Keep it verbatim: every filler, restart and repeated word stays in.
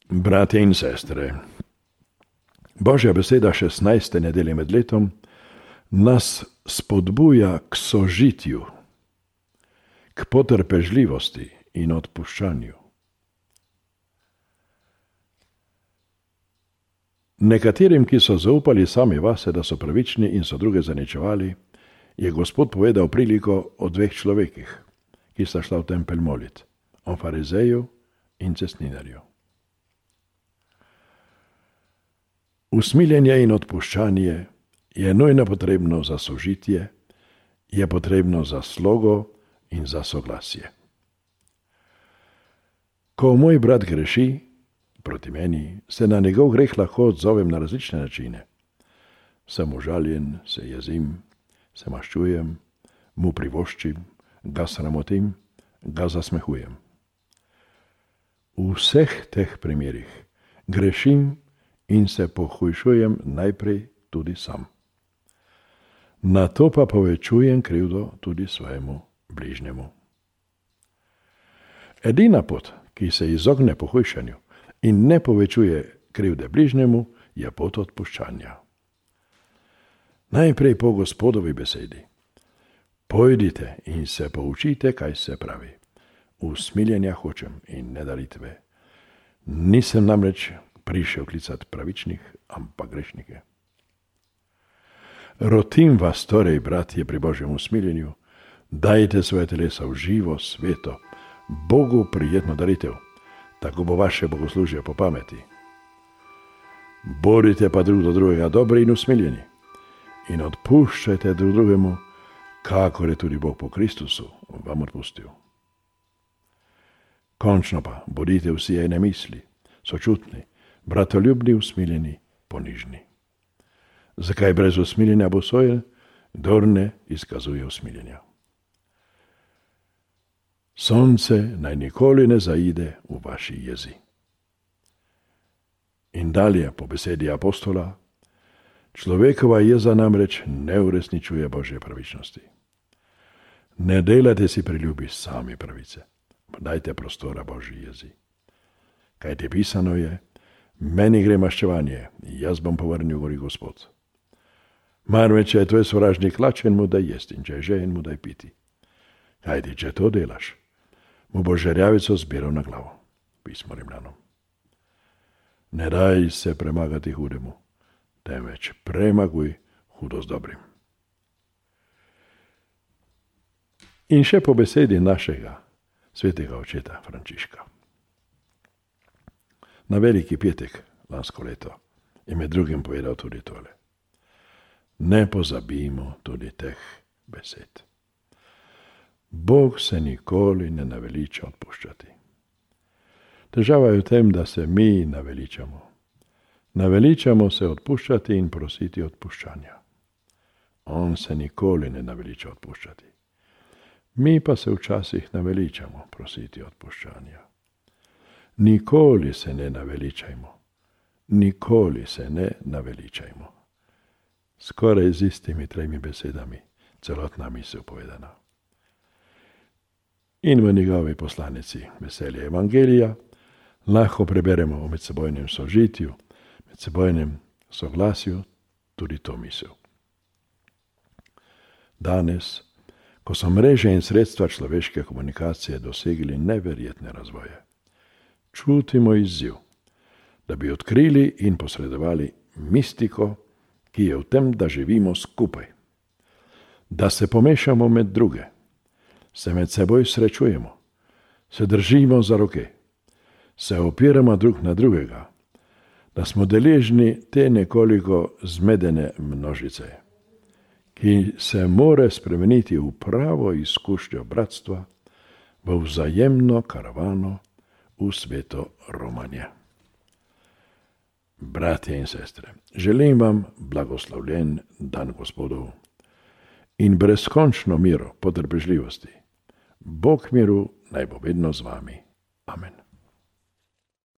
Bratje in sestre, Božja beseda šestnajste nedelje med letom nas spodbuja k sožitju, k potrpežljivosti in odpuščanju. Nekaterim, ki so zaupali sami vase, da so pravični in so druge zaničevali, je Gospod povedal priliko o dveh človekih, ki sta šla v tempelj molit, o farizeju in cestninarju. Usmiljenje in odpuščanje je nujno potrebno za sožitje, je potrebno za slogo in za soglasje. Ko moj brat greši proti meni, se na njegov greh lahko odzovem na različne načine. Sem užaljen, se jezim, se maščujem, mu privoščim, ga sramotim, ga zasmehujem. V vseh teh primerih grešim in se pohujšujem najprej tudi sam. Nato pa povečujem krivdo tudi svojemu bližnjemu. Edina pot, ki se izogne pohujšanju in ne povečuje krivde bližnjemu, je pot odpuščanja. Najprej po Gospodovi besedi. Pojdite in se poučite, kaj se pravi. Usmiljenja hočem in ne daritve. Nisem namreč prišel klicati pravičnih, ampak grešnike. Rotim vas torej, bratje, pri Božjem usmiljenju, dajte svoje telesa v živo, sveto, Bogu prijetno daritev, tako bo vaše bogoslužje po pameti. Borite pa drug do drugega dobri in usmiljeni in odpuščajte drug drugemu, kakor je tudi Bog po Kristusu vam odpustil. Končno pa bodite vsi ene misli, sočutni, bratoljubni, usmiljeni, ponižni. Zakaj brez usmiljenja bo sojen, kdor ne izkazuje usmiljenja? Sonce naj nikoli ne zaide v vaši jezi. In dalje po besedi apostola, človekova jeza namreč ne uresničuje Božje pravičnosti. Ne delajte si priljubi sami pravice, dajte prostora Božji jezi. Kaj ti pisano je, meni gre maščevanje, jaz bom povrnil, govori Gospod. Marveč, če je tvoj sovražnik lačen, mu daj jesti, in če je žejen, mu daj piti. Kaj ti, če to delaš, mu bo žerjavico zbiral na glavo, pismo Rimljanom. Ne daj se premagati hudemu, temveč premaguj hudo z dobrim. In še po besedi našega svetega očeta Frančiška. Na veliki petek lansko leto je med drugim povedal tudi tole. Ne pozabimo tudi teh besed. Bog se nikoli ne naveliča odpuščati. Težava je v tem, da se mi naveličamo. Naveličamo se odpuščati in prositi odpuščanja. On se nikoli ne naveliča odpuščati. Mi pa se včasih naveličamo prositi odpuščanja. Nikoli se ne naveličajmo. Nikoli se ne naveličajmo. Skoraj z istimi tremi besedami celotna misel povedana. In v njegovi poslanici Veselje Evangelija lahko preberemo o medsebojnem sožitju, medsebojnem soglasju tudi to misel. Danes, ko so mreže in sredstva človeške komunikacije dosegli neverjetne razvoje, čutimo izziv, da bi odkrili in posredovali mistiko, ki je v tem, da živimo skupaj, da se pomešamo med druge, se med seboj srečujemo, se držimo za roke, se opiramo drug na drugega, da smo deležni te nekoliko zmedene množice, ki se more spremeniti v pravo izkušnjo bratstva, v vzajemno karavano, v sveto romanje. Bratje in sestre, želim vam blagoslovljen dan Gospodov in brezkončno miro potrpežljivosti. Bog miru naj bo vedno z vami. Amen.